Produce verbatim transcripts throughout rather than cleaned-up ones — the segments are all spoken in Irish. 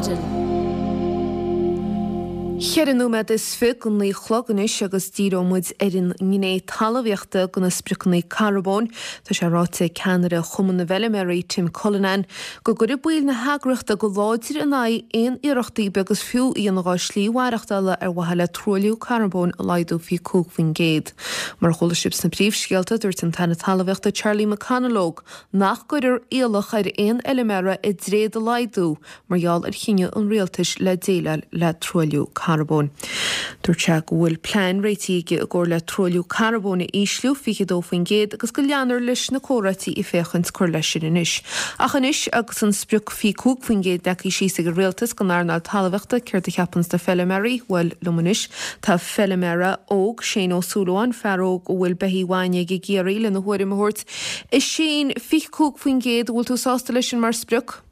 maidin. Ceithre nóiméad is fiche go naoi a chlog anois agus díreoidh muid ar an ngné talmhaíochta de na spriocanna carbóin. Tá sé ráite ag ceannaire Chumann na bhFeilméaraí Tim Cullinan go gcuirfidh baill na heagraíochta go láidir in aghaidh aon iarrachtaí beag is fiú a dhéanamh dá slí mhaireachtála ar mhaithe le truailliú carbóin a laghdú fiche cúig faoin gcéad. Mar a chuala sibh sna príomhscéalta dúirt an tAire Talmhaíochta Charlie McConalogue nach gcuirfear iallach ar aon fheilméara a dtréad a laghdú mar gheall ar chinneadh an rialtais le déileáil le truailliú carbóin. Dúirt sé go bhfuil plean réitithe aige i gcomhair le truailliú carbóin a ísliú fiche dó faoin gcéad agus go leanfar leis na comhráití ag féachaint cur leis sin anois. Ach anois agus an sprioc fiche cúig faoin gcéad leagtha síos ag an rialtas don earnáil talmhaíochta céard a cheapann na feilméaraí bhuel liom anois tá feilméara óg Shane Ó Súilleabháin fear óg a bhfuil beithígh bhainne aige i gCiarraí lena thuairim a thabhairt. A Shane fiche cúig faoin gcéad bhfuil tú sásta leis sin mar sprioc?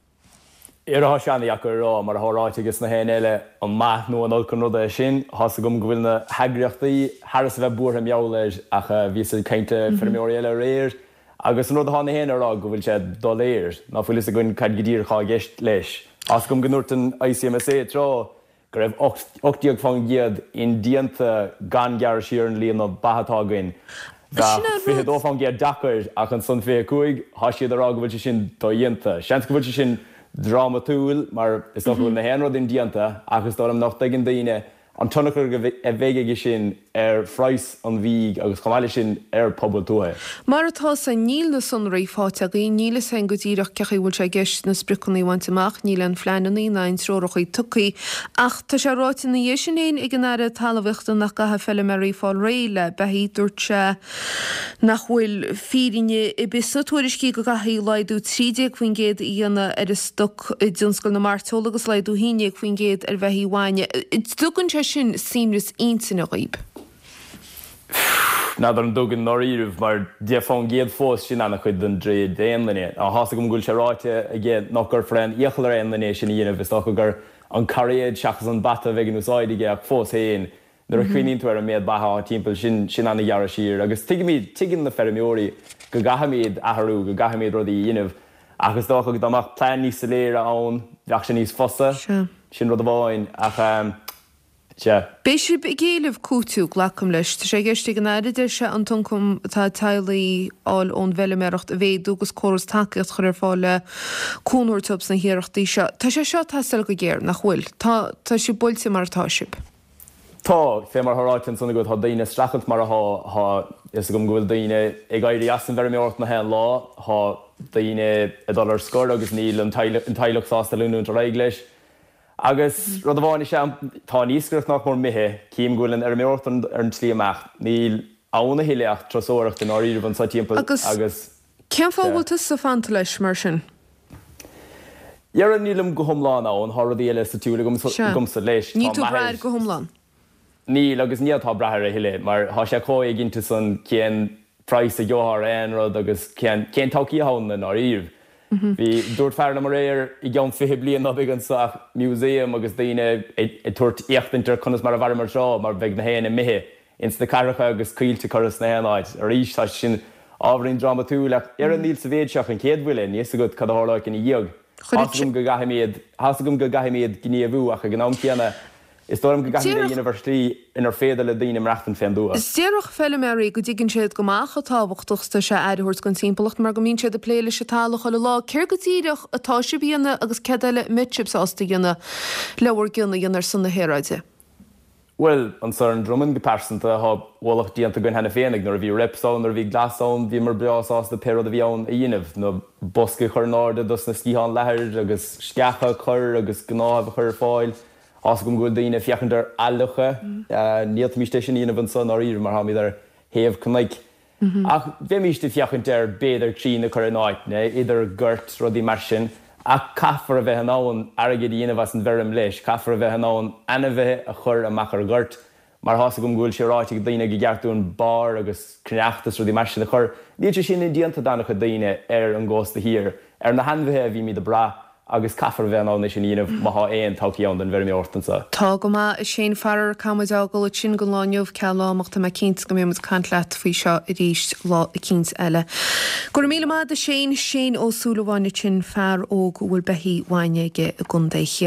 Tá sé an-deacair a rá mar atá ráite aige na héinne eile an maith nó an olc an rud é sin, Tá a fhios agam go bhfuil na heagraíochtaí thar a bheith buartha mar gheall air ach bhí ag caint le feirmeoirí eile aréir, agus an rud atá na héinne a rá go bhfuil sé doiléir ná fuil a fhios againn cad go díreach atá i gceist leis. Tá a fhios agam go ndúirt an ICMSA tráth go raibh ocht déag faoin gcéad indéanta gan gearradh siar an líon ba atá againn. Sin an fiche rud. dó faoin gcéad deacair ach ansan fiche cúig tá siad a rá go bhfuil sé sin dodhéanta. Seans go bhfuil sé sin drámatúil mar is dócha go bhfuil na haon rud indéanta ach is dóigh liom nach dtuigeann daoine an tionchar a bheidh aige sin ar phraghas an bhídh agus chomh maith leis sin ar pobal tuaithe. Mar atá san níl na sonraí faighte againn, níl a fhios againn go díreach cén chaoi a bhfuil sé i gceist na spriocanna a bhaint amach, níl aon phleananna ná aon treoracha tugtha ach tá sé ráite ina dhiaidh sin féin ag an Aire Talmhaíochta nach gcaithfidh feilméaraí fáil réidh le beithígh dúirt sé nach bhfuil fírinne ar bith sna tuairiscí go gcaithfidh laghdú trí déag faoin gcéad a dhéanamh ar an stoc i dtionscal na mairteola agus laghdú haon déag faoin gcéad ar bheithígh bhainne. Tugann sé sin suaimhneas intinne dhaoib. N'fheadar an dtugann dáiríre mar deich faoin gcéad fós sin an-chuid den dtréad d'aon duine. Tá a fhios agam go bhfuil sé ráite aige nach gcuirfear aon iachall ar aon duine sin a dhéanamh is dócha gur an cairéad seachas an bata a bheidh in úsáid aige ach fós féin nuair a chuimhníonn tú ar an méid ba atá timpeall sin sin an-ghearradh siar agus tuigimid tuigeann na feirmeoirí go gcaithfimid athrú go gcaithfimid rudaí a dhéanamh ach is dócha go dá mbeadh plean níos soiléire ann bheadh sé níos fusa sin rud amháin ach um, Sea. Beidh sibh ag éileamh cúiteamh glacaim leis. Tá sé i gceist ag an Aire deir sé an t-ioncam atá teaghlaigh a fháil ón bhfeilméaracht a mhéadú agus córas tacaíocht a chur ar fáil le cúnamh a thabhairt dóibh sna hiarrachtaí seo. Tá sé seo ag teastáil go géar, nach bhfuil? Tá tá sibh buailte mar atá sibh. Tá fé mar atá ráite ansan agat tá daoine ag streachailt mar atá tá a fhios agam go bhfuil daoine ag éirí as an bhfeirmeoireacht na haon lá, tá daoine ag dul ar scor agus níl an teaghlach sásta leanúint ar aghaidh leis. Agus rud amháin is ea tá an iascaireacht nach mór imithe, cím go bhfuil an fheirmeoireacht ar an tslí amach, níl ann a thuilleadh ach turasóireacht i ndáiríribh anseo timpeall Agus agus cén fáth a bhfuil tusa fanta leis mar sin? Dhera nílim go hiomlán ann, tá rudaí eile sa tsiúl agamsa leis. Níl tú ag brath air go hiomlán? Níl agus ní fhéadfá brath air a thuilleadh mar tá sé chomh éiginnte san cén praghas a gheofá ar aon rud agus cén cén todhchaí atá ann i ndáiríribh. Bhí, dúirt fear liom aréir, i gceann fiche bliain ná beidh anseo ach museum agus daoine ag tabhairt éachtaint ar conas mar a mhaireamar tráth mar bheidh na héinne imithe ins na cathracha agus coillte curtha sna haon áit. Arís tá sé sin ábhairín drámatúil ach dhera níl sa mhéid seo ach an chéad bhuille, níl a fhios agat cad a tharlóidh ina dhiaidh. Tá a fhios agam go gcaithfimid, tá a fhios agam go gcaithfimid gníomhú ach ag an am céanna Is dóigh liom go gcaithfimid é a dhéanamh ar shlí inar féidir le daoine maireachtaint fén dtuath. Déarfadh feilméaraí go dtuigeann siad go maith chomh tábhachtach is atá sé aire a thabhairt don timpeallacht mar go mbíonn siad ag plé leis an talamh chuile lá. Céard go díreach atá sibh a dhéanamh agus céard eile a mbeidh sibh sásta a dhéanamh le bhur gcion a dhéanamh ar son na haeráide? Bhuel, anso ar an Dromainn go pearsanta, tá ualach déanta againn cheana féin ag nuair a bhí reps ann, nuair a bhí glas ann, bhíomar breá sásta pé rud a bhí ann a dhéanamh, na boscaí a chur in airde dos na sciatháin leathair agus sceacha a chur agus gnáthaimh a chur ar fáil. Tá a fhios agam go bhfuil daoine ag féachaint ar athfhliuchadh. Ní fhéadfaimíst é sin a dhéanamh anso i ndáiríre mar táimid ar thaobh cnoic. Ach bheimíst ag féachaint ar b'fhéidir crainn a chur in áiteanna, idir goirt, rudaí mar sin. Ach caithfear a bheith in ann airgead a dhéanamh as an bhfeirm leis, caithfear a bheith in ann ainmhithe a chur amach ar ghoirt. Mar tá a fhios agam go bhfuil sé ráite ag daoine go gceart dúinn barr agus cneachta is rudaí mar sin a chur, níl sé sin indéanta d'an-chuid daoine ar an gcósta thiar, ar na hainmhithe a bhímid ag brath agus caithfear a bheith in ann é sin a dhéanamh má thá aon todhchaí ann don bhfeirmeoireacht anseo. Tá go maith, a Shane. Faraor, caithfidh muid a fhágáil ansin don lá inniu, ceal am ach tá mé cinnte go mbeidh muid ag caint leat faoi seo arís lá eicínt eile. Go raibh míle maith agat a Shane. Shane Ó Súilleabháin ansin, fear óg a bhfuil beithígh bhainne aige i gContae Chiarraí.